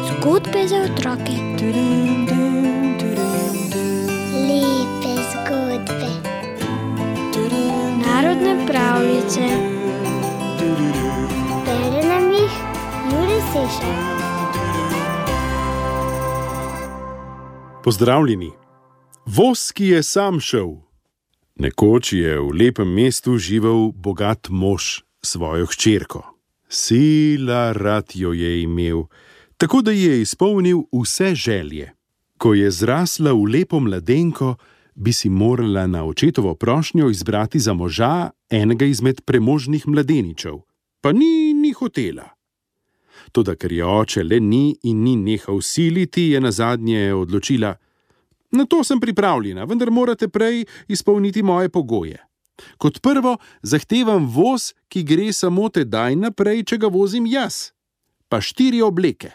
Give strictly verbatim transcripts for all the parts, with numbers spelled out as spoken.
Zgodbe za otroke. Lepe zgodbe. Narodne pravljice. Bere nam jih Jure Sešar. Pozdravljeni. Voz, ki je sam šel. Nekoč je v lepem mestu živel bogat mož s svojo hčerko. Sila rad jo je imel, tako da je izpolnil vse želje. Ko je zrasla v lepo mladenko, bi si morala na očetovo prošnjo izbrati za moža enega izmed premožnih mladeničev, pa ni ni hotela. Toda ker je oče le ni in ni nehal siliti, je nazadnje odločila: na to sem pripravljena, vendar morate prej izpolniti moje pogoje. Kot prvo zahtevam voz, ki gre samo tedaj naprej, če ga vozim jaz, pa štiri obleke.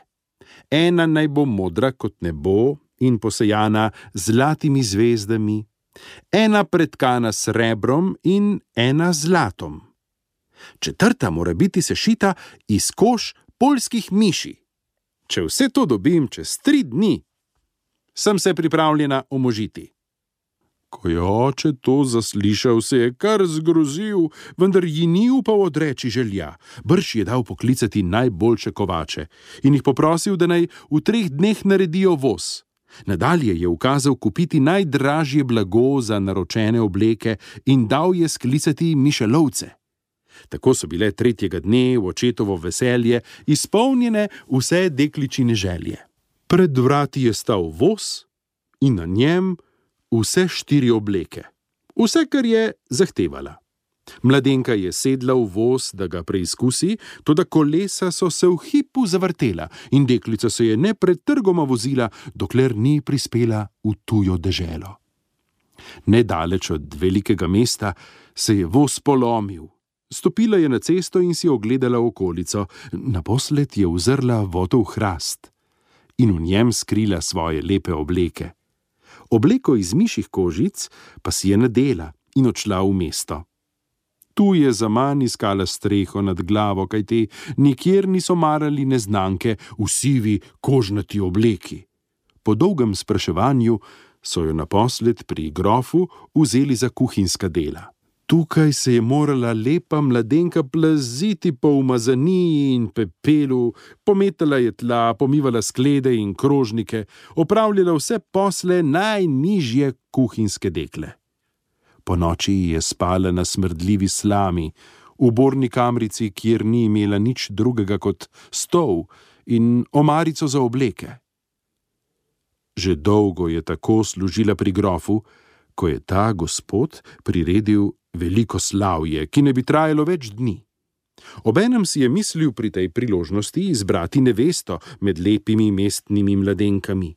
Ena naj bo modra kot nebo in posejana z zlatimi zvezdami, ena pretkana s srebrom in ena z zlatom. Četrta mora biti sešita iz kož poljskih miši. Če vse to dobim čez tri dni, sem se pripravljena omožiti. Ko je oče to zaslišal, se je kar zgrozil, vendar ji ni upal odreči želja. Brž je dal poklicati najboljše kovače in jih poprosil, da naj v treh dneh naredijo voz. Nadalje je ukazal kupiti najdražje blago za naročene obleke in dal je sklicati mišelovce. Tako so bile tretjega dne v očetovo veselje izpolnjene vse dekličine želje. Pred vrati je stal voz in na njem vse štiri obleke. Vse, kar je zahtevala. Mladenka je sedla v voz, da ga preizkusi, toda kolesa so se v hipu zavrtela in deklica se je nepretrgoma vozila, dokler ni prispela v tujo deželo. Nedaleč od velikega mesta se je voz polomil. Stopila je na cesto in si ogledala okolico. Naposled je uzrla votov hrast in v njem skrila svoje lepe obleke. Obleko iz mišjih kožic pa si je nadela in odšla v mesto. Tu je zaman iskala streho nad glavo, kajti nikjer niso marali neznanke v sivi kožnati obleki. Po dolgem spraševanju so jo naposled pri grofu vzeli za kuhinjska dela. Tukaj se je morala lepa mladenka plaziti po umazaniji in pepelu, pometala je tla, pomivala sklede in krožnike, opravljala vse posle najnižje kuhinjske dekle. Po noči je spala na smrdljivi slami, v borni kamrici, kjer ni imela nič drugega kot stol in omarico za obleke. Že dolgo je tako služila pri grofu, ko je ta gospod priredil veliko slavje, ki ne bi trajalo več dni. Obenem si je mislil pri tej priložnosti izbrati nevesto med lepimi mestnimi mladenkami.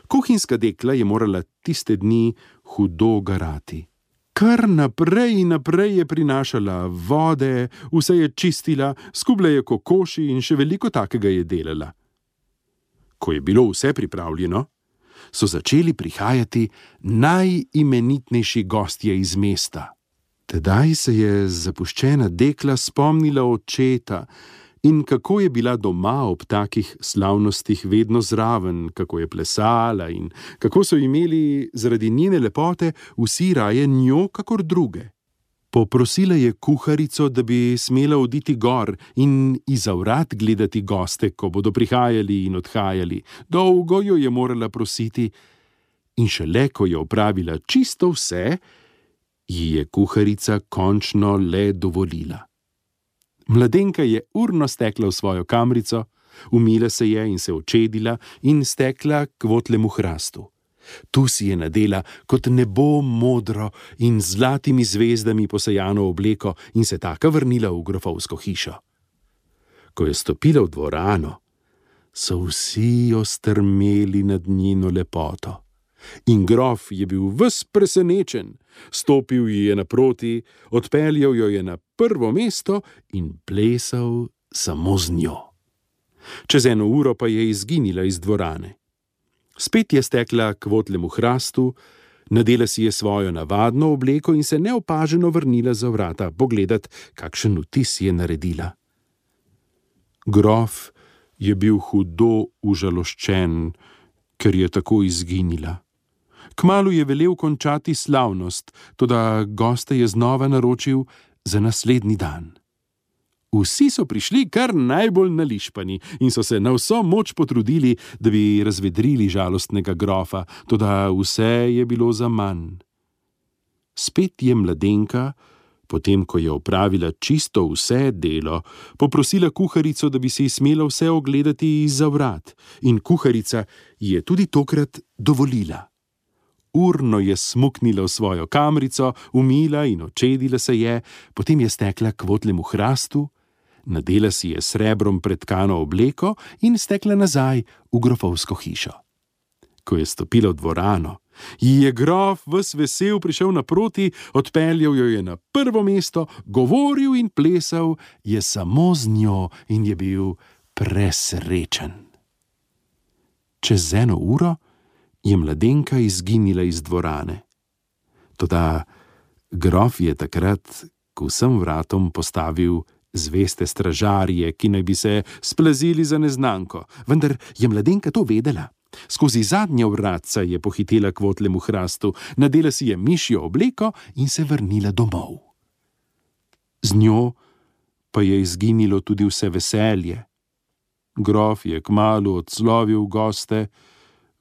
Kuhinjska dekla je morala tiste dni hudo garati. Kar naprej in naprej je prinašala vode, vse je čistila, skubla je kokoši in še veliko takega je delala. Ko je bilo vse pripravljeno, so začeli prihajati najimenitnejši gostje iz mesta. Tedaj se je zapuščena dekla spomnila očeta in kako je bila doma ob takih slavnostih vedno zraven, kako je plesala in kako so imeli zaradi njene lepote vsi raje njo kakor druge. Poprosila je kuharico, da bi smela oditi gor in izza vrat gledati goste, ko bodo prihajali in odhajali. Dolgo jo je morala prositi in šele, ko je opravila čisto vse, ji je kuharica končno le dovolila. Mladenka je urno stekla v svojo kamrico, umila se je in se očedila in stekla k votlemu hrastu. Tu si je nadela kot nebo modro in z zlatimi zvezdami posejano obleko in se taka vrnila v grofovsko hišo. Ko je stopila v dvorano, so vsi ostrmeli nad njeno lepoto. In grof je bil ves presenečen, stopil ji je naproti, odpeljal jo je na prvo mesto in plesal samo z njo. Čez eno uro pa je izginila iz dvorane. Spet je stekla k votlemu hrastu, Nadela si je svojo navadno obleko in se neopaženo vrnila za vrata pogledat, kakšen vtis je naredila. Grof je bil hudo užaloščen, ker je tako izginila. Kmalu je velel končati slavnost, toda goste je znova naročil za naslednji dan. Vsi so prišli kar najbolj nališpani in so se na vso moč potrudili, da bi razvedrili žalostnega grofa, toda vse je bilo zaman. Spet je mladenka, potem ko je opravila čisto vse delo, poprosila kuharico, da bi si smela vse ogledati izza vrat, in kuharica je tudi tokrat dovolila. Urno je smuknila v svojo kamrico, umila in očedila se je, potem je stekla k votlemu hrastu, nadela si je srebrom pretkano obleko in stekla nazaj v grofovsko hišo. Ko je stopila v dvorano, ji je grof ves vesel prišel naproti, odpeljal jo je na prvo mesto, govoril in plesal je samo z njo in je bil presrečen. Čez eno uro je mladenka izginila iz dvorane. Toda grof je takrat k vsem vratom postavil zveste stražarje, ki naj bi se splazili za neznanko, vendar je mladenka to vedela. Skozi zadnja vratca je pohitela k votlemu hrastu, nadela si je mišjo obleko in se vrnila domov. Z njo pa je izginilo tudi vse veselje. Grof je kmalu odslovil goste,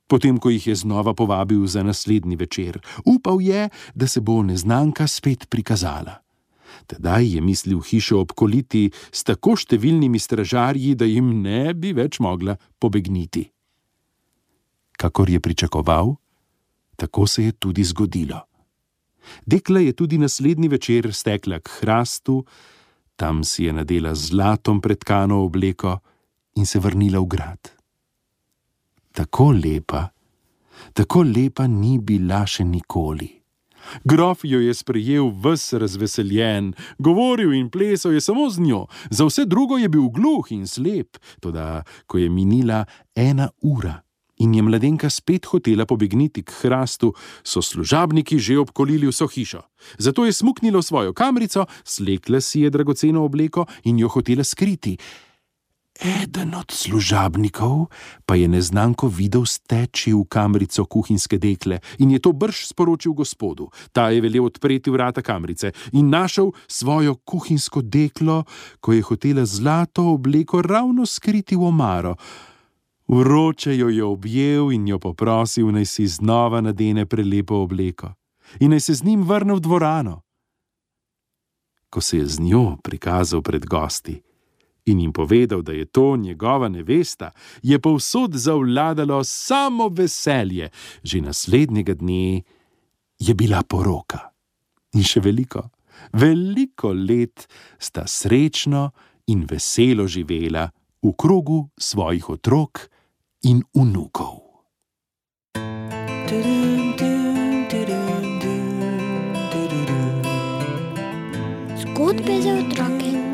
potem ko jih je znova povabil za naslednji večer. Upal je, da se bo neznanka spet prikazala. Tedaj je mislil hišo obkoliti s tako številnimi stražarji, da jim ne bi več mogla pobegniti. Kakor je pričakoval, tako se je tudi zgodilo. Dekla je tudi naslednji večer stekla k hrastu, tam si je nadela zlatom pretkano obleko in se vrnila v grad. Tako lepa, tako lepa ni bila še nikoli. Grof jo je sprejel ves razveseljen, govoril in plesal je samo z njo, za vse drugo je bil gluh in slep, toda ko je minila ena ura in je mladenka spet hotela pobegniti k hrastu, so služabniki že obkolili vso hišo. Zato je smuknila v svojo kamrico, slekla si je dragoceno obleko in jo hotela skriti. Eden od služabnikov pa je neznanko videl steči v kamrico kuhinjske dekle in je to brž sporočil gospodu. Ta je velel odpreti vrata kamrice in našel svojo kuhinjsko deklo, ko je hotela zlato obleko ravno skriti v omaro. Vroče jo je objel in jo poprosil, naj si znova nadene prelepo obleko in naj se z njim vrne v dvorano. Ko se je z njo prikazal pred gosti in jim povedal, da je to njegova nevesta, je povsod zavladalo samo veselje. Že naslednjega dne je bila poroka. In še veliko, veliko let sta srečno in veselo živela v krogu svojih otrok in vnukov. Zgodbe za otroke.